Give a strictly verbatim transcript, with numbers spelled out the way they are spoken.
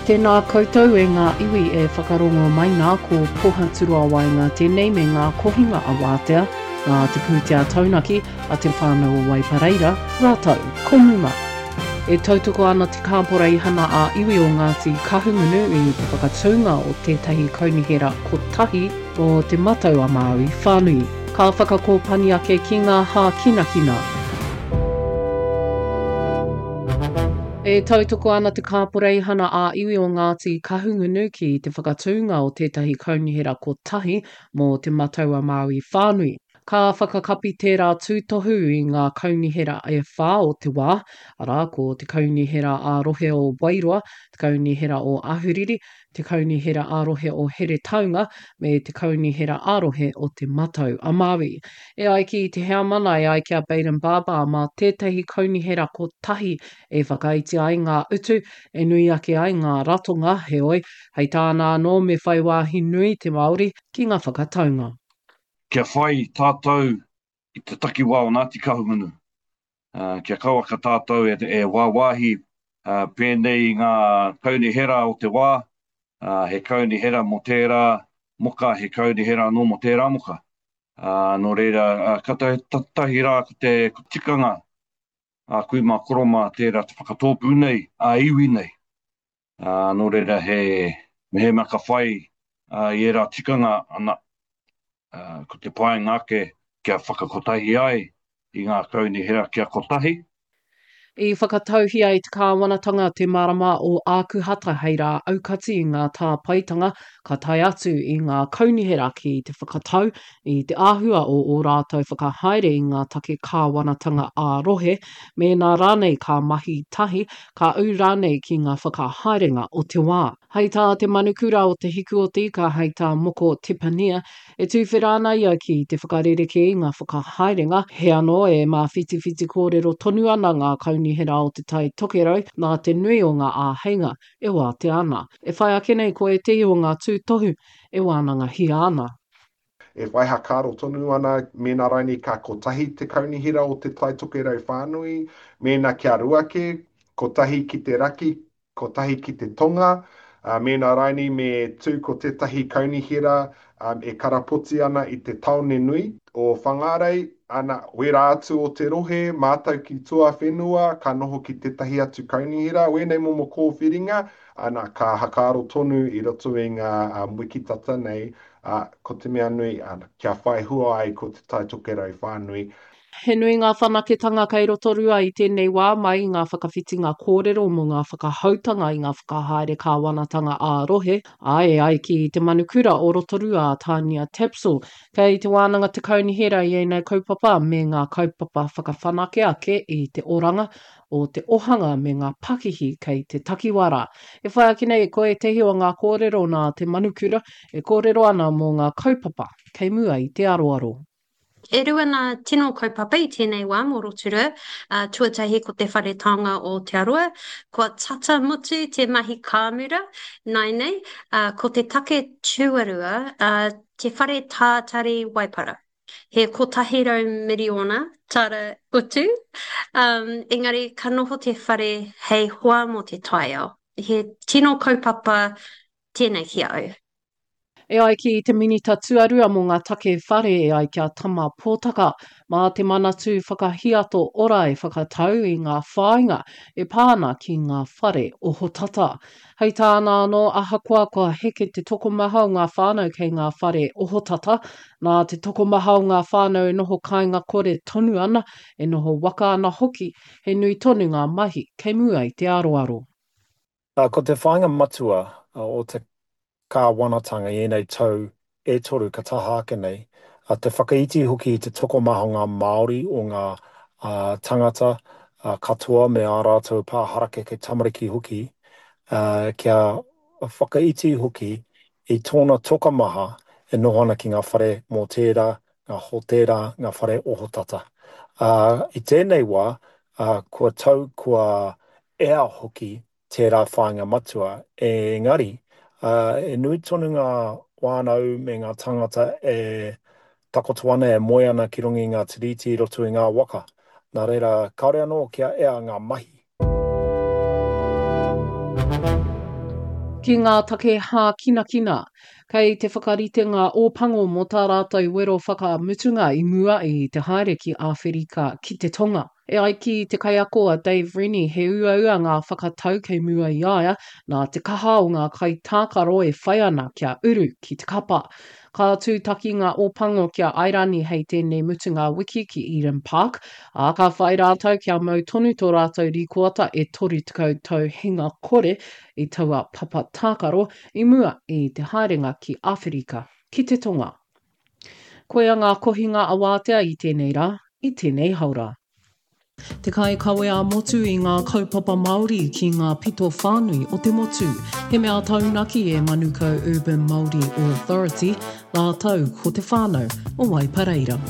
Tēnā koutou e ngā iwi e whakarongo mai nā ko Pohaturoa Waenga tēnei me ngā kohinga a Wātea, nā te pūtea taunaki a Te Whānau o Waipareira, rātou ko Muma. E tautoko ana te Kāporeihana ā-Iwi o Ngāti Kahungunu i te whakatūnga o tētahi kaunihera kotahi o Te Matau a Māui whānui. Ka whakakōpani ake ki ngā hākinakina. E tautoko ana te Kāporeihana ā-Iwi o Ngāti Kahungunu ki te whakatūnga o tētahi kaunihera kotahi mō Te Matau a Māui whānui. Ka whakakapi tērā tūtohu i ngā kaunihera e whā o te wā, arā, ko Te Kaunihera ā-Rohe o Wairoa, Te Kaunihera o Ahuriri, Te Kaunihera ā-Rohe o Heretaunga, me Te Kaunihera ā-Rohe o Te Matau a Māui. E ai ki te heamana, e ai ki a Bayden Barber, mā tētahi kaunihera kotahi e whakaiti ai ngā utu, e nui ake ai ngā ratonga, heoi, hei tāna anō me whai wāhi nui te Māori ki ngā whakataunga. Kia whai tātou i te takiwā o Ngāti Kahungunu, kia kauaka tātou e, e wāwāhi pēnei i ngā kaunihera o te wā, he kaunihera mō tērā moka, he kaunihera anō mō tērā moka. Nō reira, ka tahi rā ko te tikanga a kui mā koro mā tērā te whakatōpū nei, a iwi nei. Ā, nō reira he, mehemea ka whai i ērā tikanga, ana, ko te painga ake kia whakakotahi ai i ngā kaunihera kia kotahi. I whakatauhia e te kāwanatanga te marama o Ākuhata hei rā aukati i ngā tāpaetanga ka tae atu i ngā kaunihera ki te whakatau i te āhua o ō rātou whakahaere i ngā take kāwanatanga ā-rohe, mēnā rānei ka mahi tahi, ka ū rānei ki ngā whakahaerenga o te wā. Hei tā te manukura o Te Hiku o te Ika, hei tā Moko Tepania, e tuwhera ana ia ki te whakarerekē i ngā whakahaerenga, he anō e māwhitiwhiti kōrero tonu ana ngā kaunihera o Te Tai Tokerau nā te nui o ngā āheinga e wātea ana. E whai ake nei ko ētehi o ngā tūtohu e wānangahia ana. E whai hakaaro tonu ana mēnā rainei ka kotahi te kaunihera o Te Tai Tokerau whānui, mēnā kia rua kē, kotahi ki te raki, kotahi ki te tonga, ā, mēnā rainei me tū ko tētahi kaunihera e karapoti ana i te tāone nui o Whangārei, ana, wērā atu o te rohe, mātau ki tuawhenua, ka noho ki tētahi atu kaunihera, wēnei momo kōwhiringa, ana, ka hakaaro tonu i roto i ngā wiki tata nei, ā, ko te mea nui, ana, kia whai hua ai ko Te Tai Tokerau whānui. He nui ngā whanaketanga kei Rotorua i tēnei wā mai i ngā whakawhitinga kōrero mō ngā whakahoutanga i ngā whakahaere kāwanatanga ā-rohe, ā, e ai ki te manukura o Rotorua a Tania Tapsell, kei te wānanga te kaunihera i ēnei kaupapa me ngā kaupapa whakawhanake ake i te oranga o te ohanga me ngā pakihi kei te takiwā rā. E whai ake nei ko ētehi o ngā kōrero nā te manukura e kōrero ana mō ngā kaupapa kei mua i te aroaro. E rua ngā tino kaupapa i tēnei wā mō Rotorua. Uh, tuatahi ko te Whare Taonga o Aotearoa. Kua tata mutu te mahi kāmura nāianei. Uh, ko te take tuarua, uh, te Whare Tātari Waipara. He kotahi rau miriona tāra utu, um, engari ka noho te whare hei hoa mō te taiao. He tino kaupapa tēnei ki a au. E ai ki te Minita Tuarua mō ngā Take Whare e ai ki a Tama Potaka, mā te Manatū Whakahiato Ora e whakatau i ngā whāinga e pā ana ki ngā whare ohotata. Hei tāna anō, ahakoa kua heke te tokomaha o ngā whānau kei ngā whare ohotata, nā te tokomaha o ngā whānau e noho kāinga kore tonu ana, e noho waka ana hoki, he nui tonu ngā mahi kei mua i te aroaro. Ko te whāinga matua o te kāwanatanga i ēnei tau e toru ka taha ake nei, te whakaiti hoki i te tokomaha o ngā Māori, o ngā tangata katoa me ā rātou pā harakeke tamariki hoki, kia whakaiti hoki i tōna tokomaha e noho ana ki ngā whare mōtēra, ngā hōtēra, ngā whare ohotata. I tēnei wā, kua tau, kua ea hoki tērā whāinga matua, engari, e nui tonu ngā whānau me ngā tāngata e takoto ana, e moe ana ki runga i ngā tiriti i roto i ngā waka. Nā reira, kāore anō kia ea ngā mahi. Ki ngā take hākinakina, kei te whakarite ngā Ōpango mō tā rātou wero whakamutunga i mua i te haere ki Āwherika ki te Tonga. E ai ki te kaiako a Dave Rennie he uaua ngā whakatau kei mua i a ia nā te kaha o ngā kaitākaro e whai ana kia uru ki te kapa. Ka tūtaki ngā Ōpango ki a Airani hei tēnei mutunga wiki ki Eden Park, ā, ka whai rātou kia mau tonu tō rātou rīkoata e toru tekau tau hinga kore i taua papa tākaro i mua i te haerenga ki Āwherika ki te Tonga. Koia ngā kohinga awātea i tēnei rā, i tēnei haora. Te kaikawe ā-motu i ngā kaupapa Māori ki ngā pito whānui o te motu. He mea taunaki e Manukau Urban Māori Authority rātou ko te whānau o Waipareira.